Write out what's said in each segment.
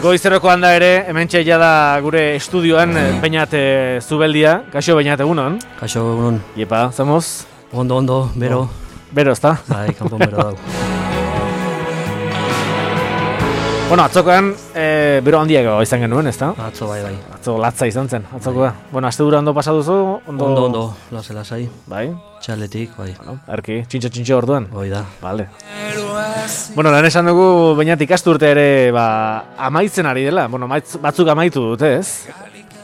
Goizerokoan da ere, hementxe da gure estudioan Beñat Zubeldia. Kaixo Beñat, egunon? Kaixo, egunon. Iepa, zamoz? Ondo, bero. Bero, ezta? Bai, kanpon bero dago. Bueno, atzokoan bero handiago izan genuen, ezta? Atzo bai. Atzo latza izan zen, atzokoa. Bai. Bueno, aste dura ondo pasatuzu? Ondo, lasai. Bai? Txaletik, bai. Bueno, erki, txintxo orduan? Hoi da. Vale. Bueno, lan esan dugu Beñat ikasturte ere amaitzen ari dela. Bueno, batzuk amaitu dute, ez?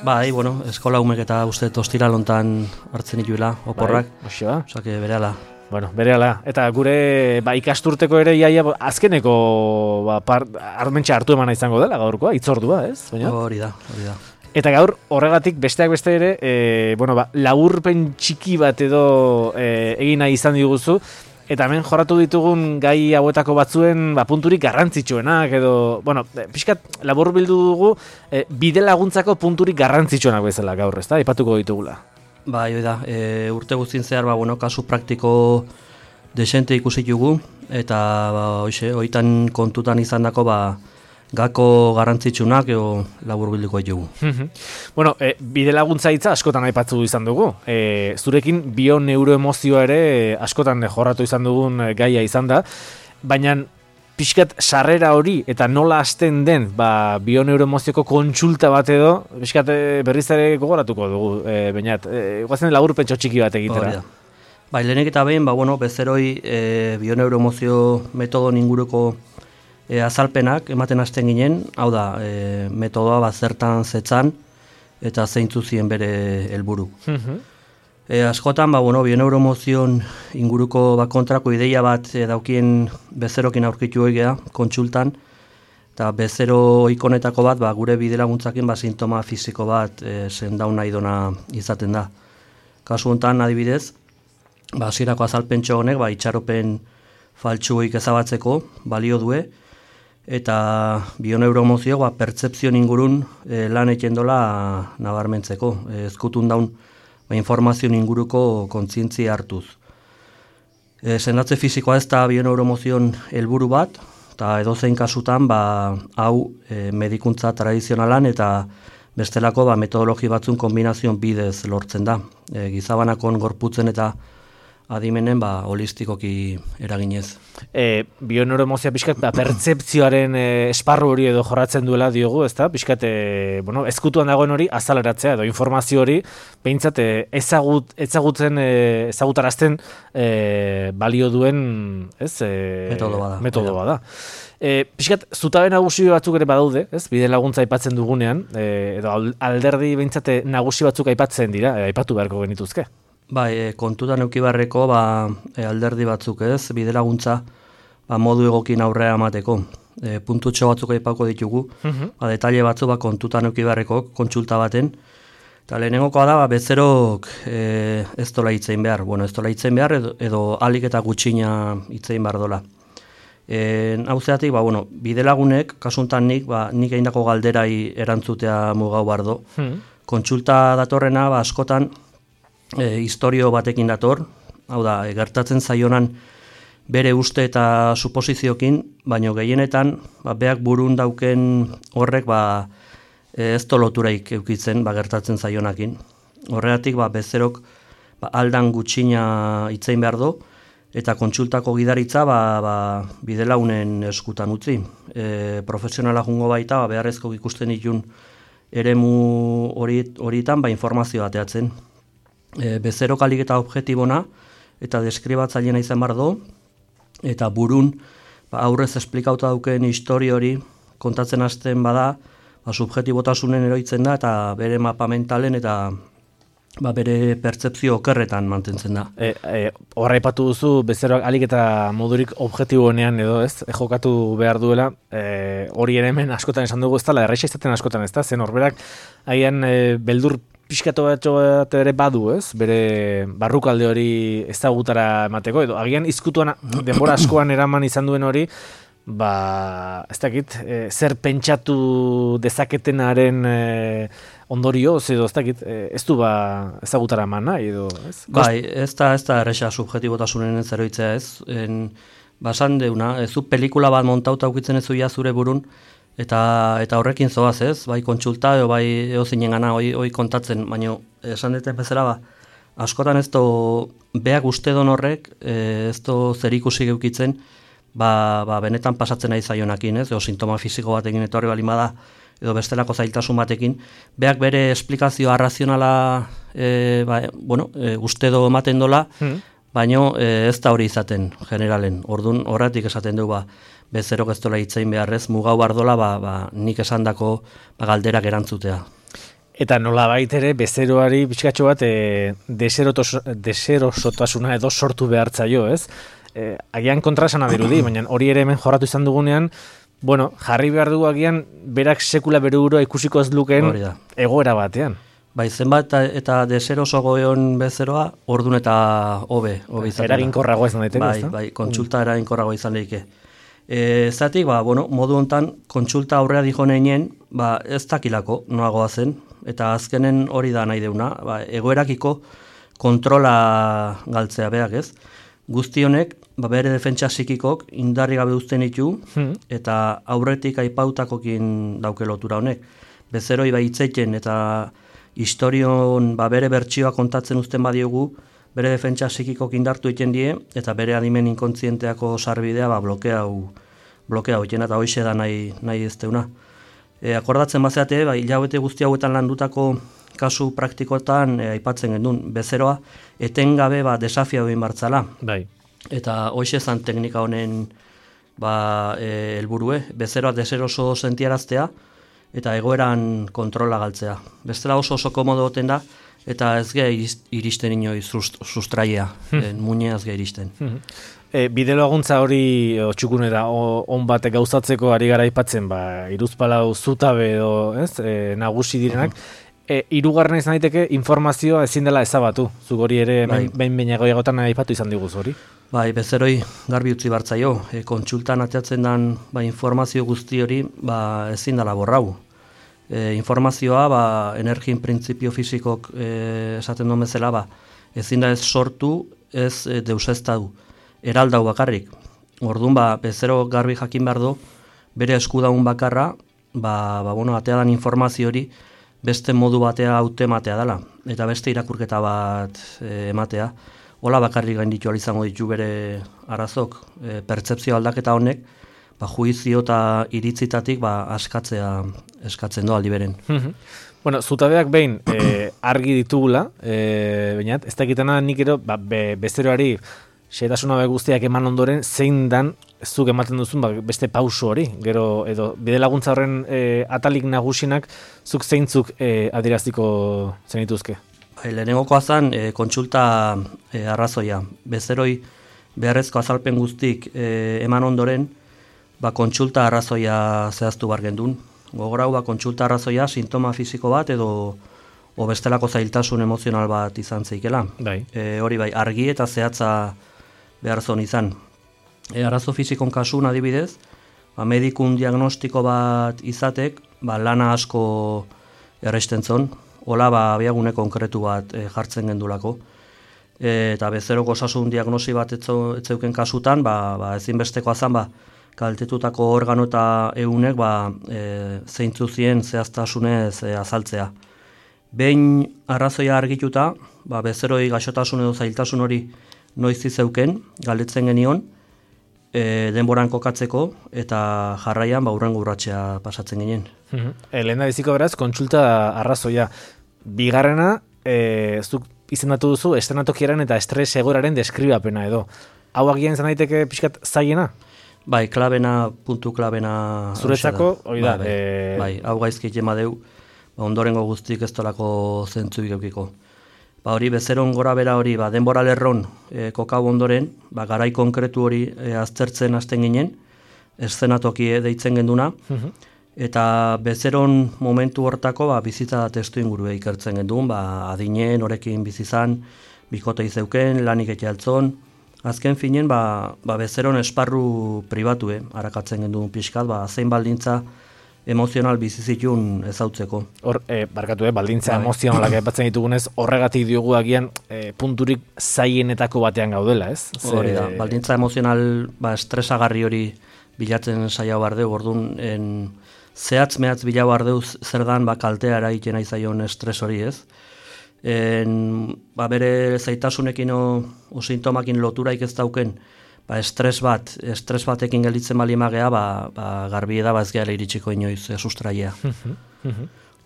Bai, bueno, eskola umek eta uste ostiralontan hartzen dituela, oporrak. Bai, oso. Osake, berehala. Bueno, berehala. Eta gure ikasturteko ere iaia azkeneko armentxa hartu emana izango dela gaurkoa, itzordua, ez? Beñat? Hori da. Eta gaur horregatik besteak beste ere, laburpen txiki bat edo egin nahi izan diguzu. Eta hemen jorratu ditugun gai hauetako batzuen punturik garrantzitsuenak edo, pixkat labur bildu dugu bide laguntzako punturik garrantzitsuenak bezala gaur, ezta? Aipatuko ditugula. Bai, hoi da, urte guztien zehar, kasu praktiko desente ikusi dugu, eta hoitan kontutan izandako gako garrantzitsunak edo labur bilduko dugu. Bueno, bide laguntza hitza askotan aipatzu izan dugu. Zurekin bioneuroemozioa ere askotan jorratu izan dugun gaia izan da, baina pixkat sarrera hori eta nola hasten den bioneuroemozioko kontsulta bat edo, pixkat berriz ere gogoratuko dugu, Beñat. Guazen laburpentxo txiki bat egitera. Bai, lehenik eta behin, bezeroi bioneuroemozio metodon inguruko azalpenak ematen hasten ginen, hau da, metodoa zertan zetzan eta zeintzu zien bere helburu. Askotan, bioneuroemozion inguruko kontrako ideia bat daukien bezerokin aurkitu egea, kontsultan, eta bezero ikonetako bat gure bide laguntzakin sintoma fisiko bat zendaun nahi dona izaten da. Kasu honetan, adibidez, hasierako azalpentxo honek itxaropen faltsuik ezabatzeko balio due, eta bioneuroemozio pertzepzio ingurun lan egiten dola nabarmentzeko, ezkutun daun informazio inguruko kontzientzia hartuz. Sendatze fisikoa ez da bioneuroemozion helburu bat, eta edozein kasutan hau medikuntza tradizionalan eta bestelako metodologi batzun kombinazion bidez lortzen da. Gizabanakon gorputzen eta adimenen holistikoki eraginez. Bioneuroemozioa pixkat pertzepzioaren esparru hori edo jorratzen duela diogu, ezta? Pixkat ezkutuan dagoen hori azaleratzea edo informazio hori behintzat ezagutarazten balio duen metodo bada. Pixkat zutabe nagusi batzuk ere badaude, ez? Bide laguntza aipatzen dugunean, edo alderdi behintzat nagusi batzuk aipatzen dira, aipatu beharko genituzke. Bai, kontutan eduki beharreko alderdi batzuk, ez? Bide laguntza modu egokin aurrea emateko. Puntutxo batzuk aipako ditugu, detaile batzuk kontutan eduki beharreko kontsulta baten. Eta lehenengokoa da, bezerok ez dola hitzein behar. Ez dola hitzein behar edo alik eta gutxina hitzein behar dola. Hau zeatik, bide lagunek, kasuntan nik egindako galderai erantzutea mugau bardo. Kontsulta datorrena, askotan, historio batekin dator, hau da, gertatzen zaionan bere uste eta suposiziokin, baino gehienetan, beak burun dauken horrek, ez lotureik eukitzen, gertatzen zaionakin. Horregatik, bezerok, aldan gutxina hitzein behar do, eta kontsultako gidaritza, bide launen eskutan utzi. Profesionala jungo baita, beharrezko ikusten ditun eremu horietan, informazio bateatzen. Bezerok alik eta objektibona eta deskribatzaileena izan behar do, eta burun aurrez esplikauta dauken historio hori kontatzen hasten bada, subjektibotasunen eroitzen da eta bere mapa mentalen eta bere pertzepzio okerretan mantentzen da. Horra aipatu duzu, bezeroak alik eta modurik objektibonean edo ez, jokatu behar duela, hori ere hemen askotan esan dugu ez da, erraixa izaten askotan ez da, zen horberak agian beldur pixkatu bat ere badu, ez? Bere barrukalde hori ezagutara emateko, edo agian izkutuan denbora askoan eraman izan duen hori, ez dakit, zer pentsatu dezaketenaren ondorioz, edo ez dakit, ez du ezagutara eman nahi, edo, ez? Bai, ez da erresa subjektibotasunen zeroitzea ez, basan deuna, ez du pelikula bat montauta ukitzen ez zuia zure burun, Eta horrekin zoaz, ez? Bai kontsulta, bai eozinen gana, hoi kontatzen, baina esan duten bezala, askotan ez do, beak uste don horrek, ez do zer ikusi geukitzen, benetan pasatzen nahi zaionakin, ez? Edo sintoma fisiko batekin etorri balimada, edo bestelako zailtasun batekin, beak bere esplikazio arrazionala uste do ematen dola, baina ez da hori izaten generalen. Orduan horretik esaten du, bezerok ez dola hitzein beharrez, mugau bardola, nik esandako galderak erantzutea. Eta nola baitere, bezeroari pixkatxo bat deserosotasuna edo sortu behartzaio, ez? Agian kontrasana dirudi, baina hori ere hemen jorratu izan dugunean, jarri behar dugu agian, berak sekula bere burua ikusiko ez lukeen egoera batean. Bai, zenbat eta deseroso egon bezeroa, ordun eta hobe izan. Eraginkorragoa izan daiteke, ez da? Bai, kontsulta eraginkorragoa izan daiteke. Zatik, modu hontan, kontsulta aurrea dijo nehinen, ez dakilako noagoa zen, eta azkenen hori da nahi deuna, egoerakiko kontrola galtzea beak, ez? Guzti honek, bere defentsa psikikok indarri gabe uzten ditu, eta aurretik aipautakokin dauke lotura honek. Bezeroi hitzeiten eta historion bere bertsioa kontatzen uzten badiogu, bere defentsa psikikok indartu egiten die, eta bere adimen inkontzienteako sarbidea blokea egiten, eta hoxe da nahi ez deuna. Akordatzen bazeate, hilabete guzti hauetan landutako kasu praktikoetan aipatzen gendun, bezeroa etengabe desafia egin bartzala. Bai. Eta hoxe zan teknika honen helburue, bezeroa deseroso sentiaraztea, eta egoeran kontrola galtzea. Bestela oso komodo goten da, eta ez geha iristen inoiz sustraia, muñea ez geha iristen. Bide laguntza hori txukunera on batek gauzatzeko ari gara aipatzen, iruzpalau zutabe edo nagusi direnak, hirugarren izan daiteke informazioa ezin dela ezabatu. Zuk hori ere behin egotan aipatu izan diguz hori. Bai, bezeroi garbi utzi bartzaio. Kontsultan ateatzen den informazio guzti hori ezin dela borrau. Informazioa energin printzipio fisikok esaten duen bezala ezin da ez sortu, ez deuseztadu. Eraldau bakarrik. Orduan bezero garbi jakin behar du, bere eskudaun bakarra, atea dan informazio hori beste modu batea hautematea dela, eta beste irakurketa bat ematea. Hola bakarrik gainditu izango ditu bere arazok, pertzepzio aldaketa honek, juizio eta iritzitatik eskatzen du aldi beren. Zutabeak behin argi ditugula, bainat, ez dakitana nik ero bezeroari xetasuna guztiak eman ondoren, zein dan zuk ematen duzun beste pauso hori, gero edo bide laguntza horren atalik nagusinak zuk zeintzuk adieraziko zenituzke? Lehenengokoa zen kontsulta arrazoia. Bezeroi beharrezko azalpen guztik eman ondoren, kontsulta arrazoia zehaztu bar gendun. Gogorau, kontsulta arrazoia sintoma fisiko bat edo bestelako zailtasun emozional bat izan zeikela. Hori argi eta zehatza behar zon izan. Arazo fisikon kasun adibidez, medikun diagnostiko bat izatek, lana asko erresten zon, hola abiagune konkretu bat jartzen gendulako. Eta bezeroko osasun diagnosi bat etzeuken kasutan, ezinbestekoa zan, kaltetutako organo eta eunek zeintzuzien zehaztasunez azaltzea. Behin arrazoia argituta, bezeroi gaixotasun edo zailtasun hori noiz izeuken, galdetzen genion, denboran kokatzeko, eta jarraian hurrengo urratxea pasatzen ginen. Lehen da biziko beraz, kontsulta arrazoia. Bigarrena, zuk izendatu duzu, estrenatokieran eta estres egoraren deskribapena edo. Hau agian izan daiteke pixkat zailena? Puntu klabena... Zuretzako, hori da. Hau gaizki jema deu, ondorengo guztik ez tolako zentzuik eukiko. Hori bezeron gora bera hori, denbora lerron kokau ondoren, garai konkretu hori aztertzen hasten ginen, eszenatoki deitzen genduna, eta bezeron momentu hortako bizitza testu ingurue ikertzen gendun, adinen, horekin bizizan, bikote izeuken, lanik eke altzon, azken finen, bezeron esparru pribatu, harakatzen gendun pixkat, zein baldintza emozional bizizitun ezautzeko. Baldintza emozionalak aipatzen ditugunez, horregatik diogu agian punturik zaienetako batean gaudela, ez? Hori da, baldintza emozional estresagarri hori bilatzen saia behar dugu, orduan zehatz mehatz bilau ardeuz zer dan kaltea eragiten aizaion estres hori ez. Bere zaitasunekin o sintomakin loturaik ez dauken, estres batekin gelditzen balimagea, garbi eda ez gehala iritsiko inoiz sustraia.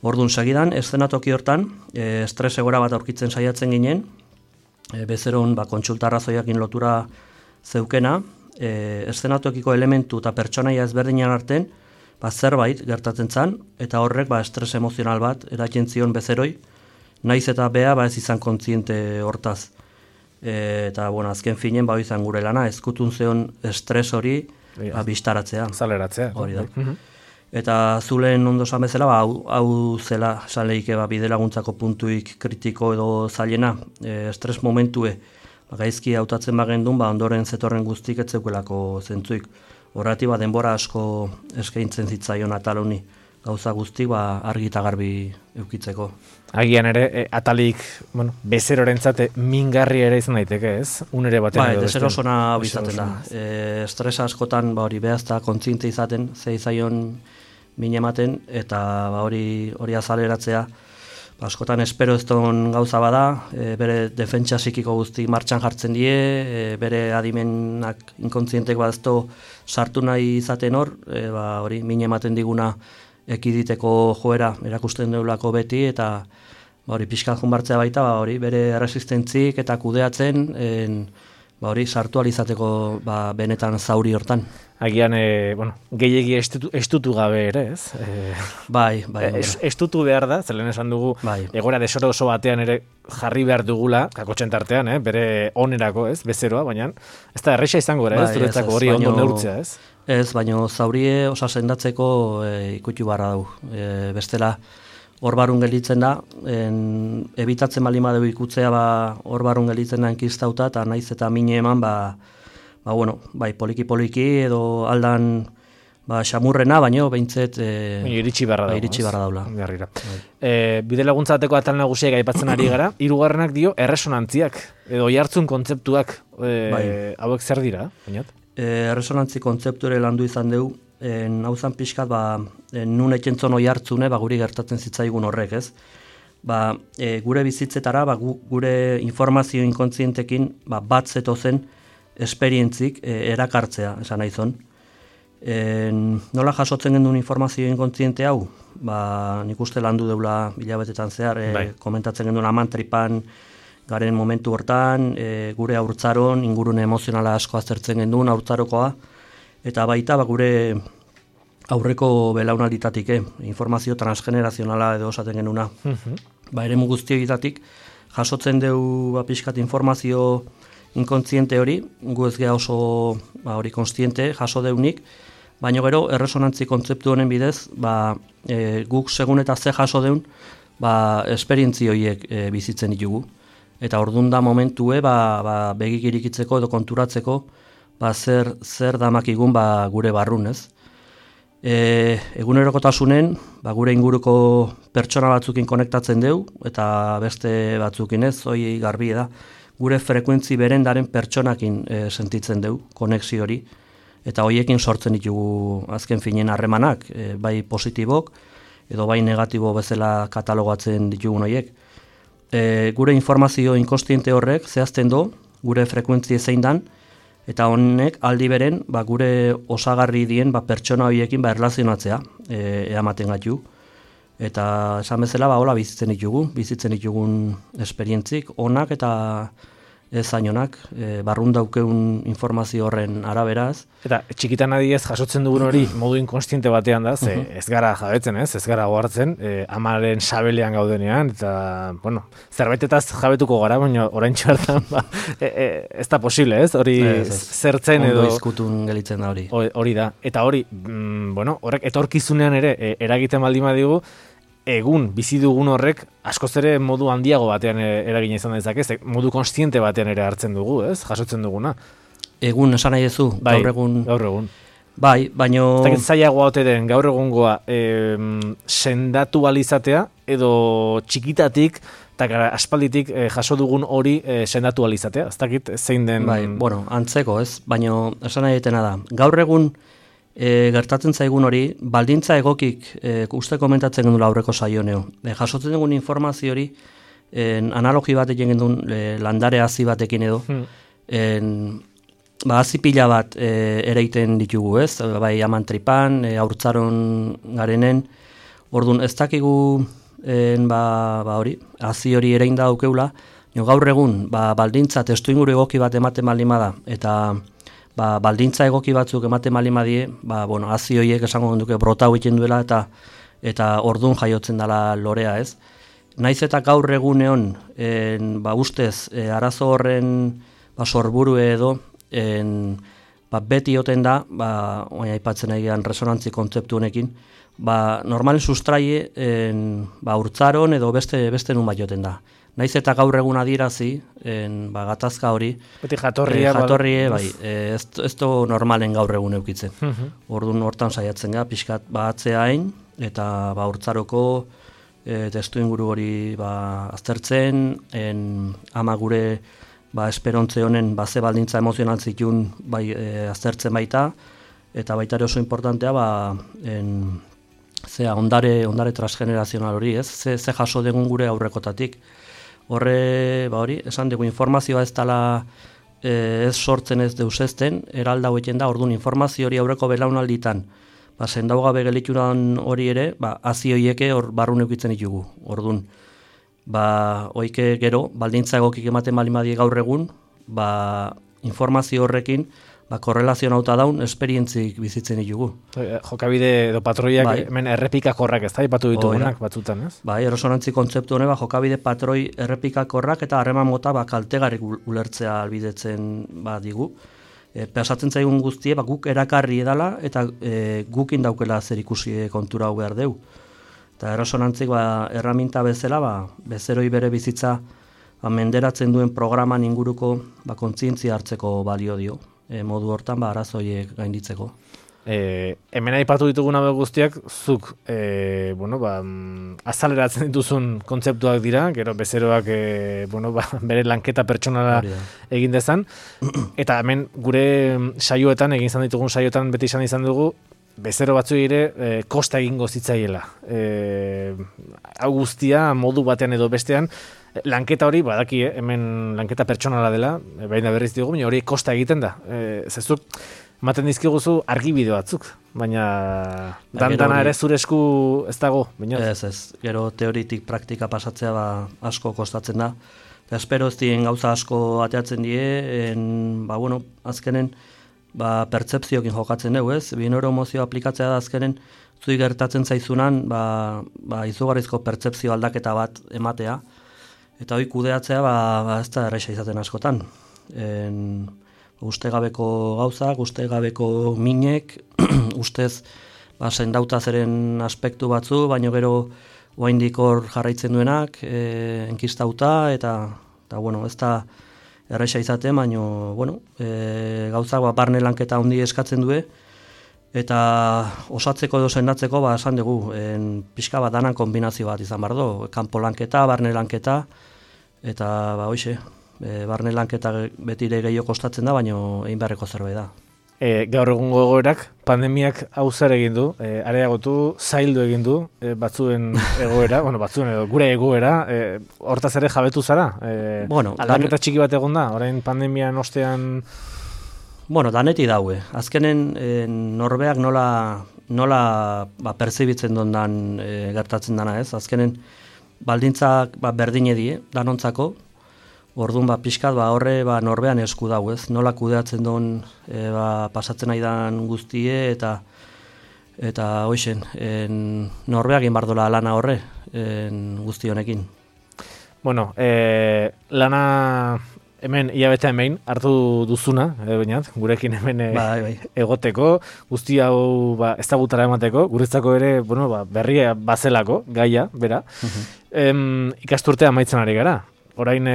Orduan segidan, eszenatoki hortan, estres egora bat aurkitzen saiatzen ginen, bezeron kontsultarrazoiakin lotura zeukena, eszenatokiko elementu eta pertsonaia ezberdinan arten, zerbait gertatzen zan, eta horrek estres emozional bat eratzen zion bezeroi, naiz eta bea ez izan kontziente hortaz. Eta, azken finen, izan gure lana, ezkutun zeon estres hori bistaratzea. Zaleratzea. Hori da. Eta zulen ondo esan bezala, hau zela saleike bide laguntzako puntuik kritiko edo zailena, estres momentue, gaizki hautatzen bagendun, ondoren zetorren guztik etzeukelako zentzuik. Horrati denbora asko eskaintzen zitzaion atal honi, gauza guztik argi eta garbi eukitzeko. Agian ere, atalik bezerorentzat mingarri ere izan daiteke, ez? Unere batean edo. Deserosona bizaten da. Estresa askotan hori behazta kontziente izaten, ze izaion min ematen, eta hori azaleratzea, askotan espero ez don gauza bada, bere defentsa psikiko guzti martxan jartzen die, bere adimenak inkontzientek badazto sartu nahi izaten hori min ematen diguna ekiditeko joera erakusten deulako beti, eta hori pixkan junbartzea baita, hori bere resistentzik eta kudeatzen, hori sartu alizateko benetan zauri hortan. Agian, gehiegi estutu gabe ere, ez? Bai. Estutu behar da, zelen esan dugu, egora desoro oso batean ere jarri behar dugula, kakotxen tartean, bere onerako, ez, bezeroa, baina ez da erresa izango ere, ez, zuretzako hori ondo neurtzea, ez? Ez, baina zaurie osa sendatzeko ikutu barra du. Bestela, hor barun gelditzen da, ebitatzen balima dugu ikutzea hor barun gelditzen da enkistauta, eta naiz eta mine eman, poliki-poliki edo aldan xamurrena, baino behintzet iritsi barra daula. Bide laguntzateko atal nagusiak aipatzen ari gara, hirugarrenak dio erresonantziak, edo jartzun kontzeptuak hauek zer dira, bainat? Erresonantzi kontzeptu ere landu izan dugu, hauzan pixkat, nun ekentzon oi hartzune, guri gertatzen zitzaigun horrek, ez? Gure bizitzetara, gure informazio inkontzientekin, bat zetozen esperientzik erakartzea, esan nahi zon. Nola jasotzen gendun informazio inkontziente hau? Nik uste landu deula hilabetetan zehar, komentatzen gendun amantripan, garen momentu hortan, gure haurtzaron, ingurune emozionala asko aztertzen gendun, haurtzarokoa, eta baita gure aurreko belaunalditatik, informazio transgenerazionala edo osaten genuna. Eremu guztioitatik, jasotzen dugu pixkat informazio inkontziente hori, gu ez geha oso hori konstiente, jaso deunik, baina gero erresonantzi kontzeptu honen bidez, guk segun eta ze jaso deun, esperientzi horiek bizitzen ditugu. Eta orduan da momentue, begik irikitzeko edo konturatzeko, zer damakigun gure barrun, ez? Egunerokotasunen, gure inguruko pertsona batzukin konektatzen deu, eta beste batzukin ez, hoi garbi da, gure frekuentzi berendaren pertsonakin sentitzen deu, konexio hori, eta hoiekin sortzen ditugu azken finen harremanak, bai positibok, edo bai negatibo bezala katalogatzen ditugun horiek. Gure informazio inkostiente horrek zehazten do, gure frekuentzi zein dan, eta honek aldi beren gure osagarri dien pertsona horiekin erlazionatzea eamaten gaitu. Eta esan bezala hola bizitzen ditugun esperientzik, onak eta ez zainonak, barrun daukeun informazio horren araberaz. Eta txikitan adiez jasotzen dugun hori modu inkonstiente batean da, ez gara jabetzen, ez gara gohartzen, amaren sabelean gaudenean, eta, zerbaitetaz jabetuko gara, baina orain txartan, ez da posible, ez? Hori zertzen edo... Ondo izkutun gelitzen da hori. Hori da, eta hori, horrek etorkizunean ere eragiten baldin badigu, egun bizi dugun horrek askoz ere modu handiago batean eragina izan dezake, modu konstiente batean ere hartzen dugu, ez? Jasotzen duguna. Egun esan nahi duzu, gaur egun. Bai, baino... Ez zailagoa ote den gaur egungoa sendatu alizatea edo txikitatik eta aspalditik jaso dugun hori sendatu alizatea. Ez dakit zein den... Bai, antzeko ez, baino esan nahi detena da. Gaur egun gertatzen zaigun hori, baldintza egokik, uste komentatzen gendula aurreko saioneo, jasotzen dugun informazio hori, analogi bat egin gendun landare hazi batekin edo, hazi pila bat ereiten ditugu, ez? Bai, amantripan, haurtzaron garenen, orduan ez dakigu hori, hazi hori erein da aukeula, gaur egun, baldintza testuinguru egoki bat ematen baldin bada, eta baldintza egoki batzuk ematen baldin badie, hazi horiek esango duke brota egiten duela, eta orduan jaiotzen dela lorea, ez? Naiz eta gaur egunean, ustez, arazo horren sorburu edo, beti oten da, aipatzen egian resonantzi kontzeptu honekin, normalen sustraie urtzaron edo beste nun bat joten da. Naiz eta gaur egun adirazi, gatazka hori, beti jatorrie, ez du normalen gaur egun eukitzen. Orduan hortan saiatzen gara, pixkat atzea hain, eta urtzaroko testu inguru hori aztertzen, ama gure esperontze honen ze baldintza emozional zitun aztertzen baita, eta baita ere oso importantea ondare transgenerazional hori, ez? Ze jaso dugun gure aurrekotatik. Horre, hori, esan dugu informazioa ez dela ez sortzen ez deusezten, eralda hoetzen da, orduan informazio hori aurreko belaunalditan, sendau gabe gelituran hori ere, hazi horieke hor barrun eukitzen ditugu, orduan. Oike gero, baldintza egokik ematen balimadi gaur egun, informazio horrekin, korrelazionauta daun, esperientzik bizitzen ditugu. Jokabide edo patroiak hemen errepikakorrak ez da, ipatu ditugunak batzutan, ez? Erosonantzi kontzeptu hone, jokabide patroi errepikakorrak eta harreman mota kaltegarik ulertzea albidetzen digu. Pasatzen zaigun guztie, guk erakarri edala eta gukin daukela zer ikusi kontura hau behar deu. Eta erosonantzik erraminta bezala, bezeroi bere bizitza menderatzen duen programan inguruko kontzientzia hartzeko balio dio. Modu hortan arazoiek gainditzeko. Hemen aipatu dituguna guztiak, zuk azaleratzen dituzun kontzeptuak dira, gero bezeroak bere lanketa pertsonala egin dezan, eta hemen gure saioetan, egin izan ditugun saioetan beti izan dugu, bezero batzu ere kosta egingo zitzaiela. Hau guztia modu batean edo bestean, lanketa hori, badaki, hemen lanketa pertsonala dela, baina berriz dugu, baina hori kosta egiten da. Zezuk, ematen dizkiguzu argibide batzuk, baina dana ere zure esku ez dago. Ez, gero teoritik praktika pasatzea asko kostatzen da. Eta espero ez dien gauza asko ateatzen die, azkenen pertzepziokin jokatzen dugu, ez? Bineuromozio aplikatzea da azkenen, zui gertatzen zaizunan, izugarrizko pertzepzio aldaketa bat ematea, eta hori kudeatzea ez da erresa izaten askotan. Ustegabeko gauzak, ustegabeko minek, ustez sendauta zeren aspektu batzu, baino gero oraindik hor jarraitzen duenak, enkistauta, eta ez da erresa izaten, baino gauzak barne lanketa handi eskatzen du, eta osatzeko edo sendatzeko esan dugu, pixka bat danan kombinazio bat izan behar du, kanpo lanketa, barne lanketa, eta barne lanketa betire gehiago kostatzen da, baino egin beharreko zerbait da. Gaur egungo egoerak, pandemiak hau zer egin du, areagotu, zaildu egin du, batzuen egoera, batzuen edo gure egoera, hortaz ere jabetu zara? Aldaketa txiki bat egon da, orain pandemian ostean... Daneti daue. Azkenen norbeak nola perzibitzen dondan gertatzen dana, ez? Azkenen baldintzak berdine die, danontzako, orduan pixkat horre norbean esku dau, ez? Nola kudeatzen don pasatzen aidan guztie eta hoixen, norbeak inbardola lana horre guzti honekin. Lana... Hemen, hilabete hemen, hartu duzuna, bainat, gurekin hemen egoteko, guzti hau ezagutara emateko, guretzako ere, berria bazelako, gaia, bera. Ikasturtea amaitzen ari gara. Orain,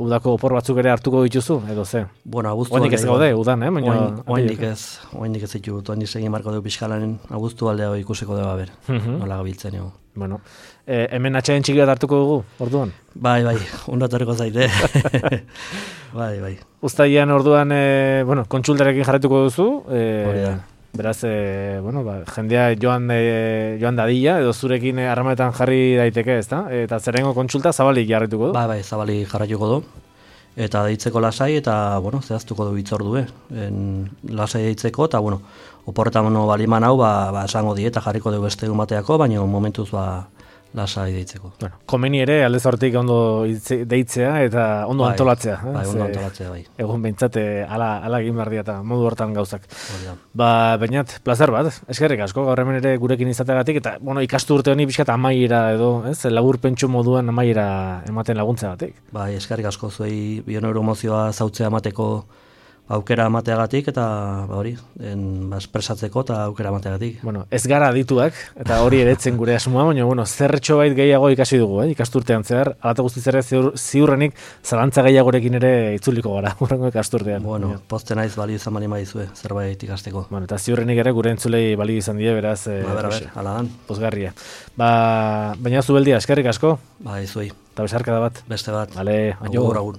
udako opor batzuk ere hartuko dituzu, edo ze? Oindik ez gaude, udan, Oindik ez ditu, oindik segin marko dugu pixkalanen, abuztu aldea ikusiko dugu haber, nola gabiltzen ego. Hemen atxaien txiki bat hartuko dugu, orduan? Bai, ondatoreko zaite. Bai. Uztailean orduan, kontsultarekin jarretuko duzu, Beraz, jendea joan dadila, edo zurekin harremanetan jarri daiteke, ezta? Eta zerrengo kontsulta zabalik jarrituko du? Bai, zabalik jarraituko du. Eta deitzeko lasai, eta, zehaztuko du hitzordue. Lasai deitzeko, eta, oporretan baliman hau, esango dieta jarriko dugu beste egun bateako, baina momentuz, lasai deitzeko. Komeni ere, aldez hortik ondo deitzea eta ondo antolatzea. Bai, ondo antolatzea, bai. Egun behintzat, ala egin behar eta modu hortan gauzak. Bainat, plazer bat, eskerrik asko, gaur hemen ere gurekin izateagatik, eta, ikastu urte honi pixkat amaiera edo, labur pentsu moduan amaiera ematen laguntzeagatik. Bai, eskerrik asko zuei bioneuromozioa zautzea emateko aukera emateagatik eta espresatzeko eta aukera emateagatik. Ez gara adituak, eta hori eretzen gure asmoa, baina zerretxo bait gehiago ikasi dugu, ikasturtean zehar, alata guztiz ere ziurrenik zalantza gehiagorekin ere itzuliko gara, urrengo ikasturtean. Poste naiz balio izan bali maizue, zerbait ikasteko. Eta ziurrenik ere gure entzulei balio izan die, beraz, aladan. Pozgarria. Baina zubeldia, eskerrik asko? Bai, zuei. Eta besarka da bat. Beste bat. Vale, agur.